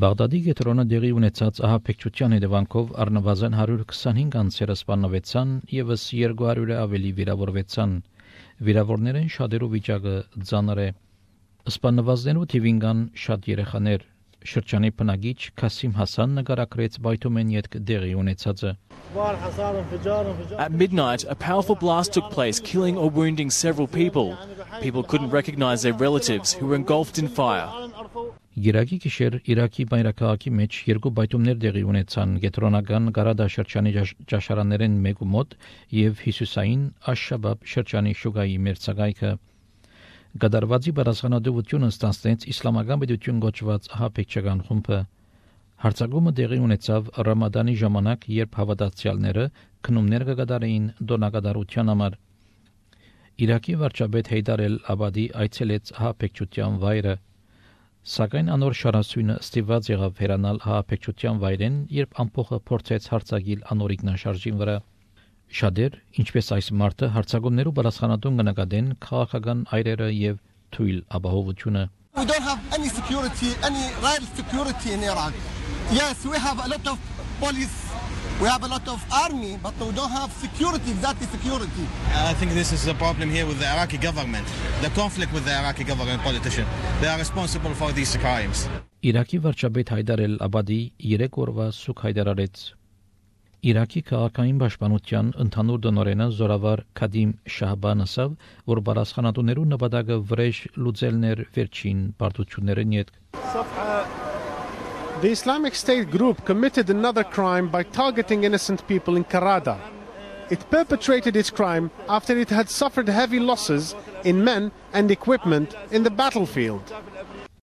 Բաղդադի գետրոնը դեղի ունեցած ահաբեկչության հետևանքով առնվազն 125 անձերը սպանվեցան եւս 200-ը ավելի վիրավորվեցան։ Վիրավորներն շատերու վիճակը ծանր է։ Սպանվածներու թիվին կան շատ երեխաներ։ Շրջանի բնակիչ Քասիմ Հասան նկարագրեց բայթումեն յետք դեղի ունեցածը։ At midnight, a powerful blast took place, killing or wounding several people. People couldn't recognize their relatives who were engulfed in fire. Գիրակի գիշեր Իրաքի բայրաքաղաքի մեջ երկու բայթումներ դեղի ունեցան գետրոնական Գարադա շրջանի ճաշարաններեն մեկու մոտ եւ Հիսուսային Աշ-Շաբաբ շրջանի շուգայի մերձակայքը։ Գդարվածի բարձրանալությունը ստանցնեց իսլամական պետություն գոչված ահաբեկչական խումբը։ Հարցակումը դեղի ունեցավ Ռամադանի ժամանակ, երբ հավատացյալները քնումներ կգադարեին դոնագադարության համար։ Իրաքի վարչապետ Հեյդար Էլ-Աբադի այցելեց ահաբեկչության վայրը, սակայն անոր շարասյունը ստիպված եղավ հեռանալ ահաբեկչության վայրեն, երբ ամփոխը փորձեց հարձակել անոր ինքնաշարժին վրա։ Շատեր, ինչպես այս մարտը, հարցակումներու բարձրանալուն կնկատեն քաղաքական այրերը եւ թույլ ապահովությունը։ We don't have any security, any real security in Iraq. Yes, we have a lot of police, we have a lot of army, but we don't have security, exactly security. I think this is a problem here with the Iraqi government, the conflict with the Iraqi government politician. They are responsible for these crimes. Իրաքի վարչապետ Հայդար Էլ-Աբադի 3 օրվա սուկ հայտարարեց։ Իրաքի քաղաքային պաշտպանության ընդհանուր դոնորենը զորավար Քադիմ Շահբան ասավ, որ բարձրանալու նպատակը վրեժ լուծելներ վերջին բարդություններն յետք։ The Islamic State group committed another crime by targeting innocent people in Karada. It perpetrated its crime after it had suffered heavy losses in men and equipment in the battlefield.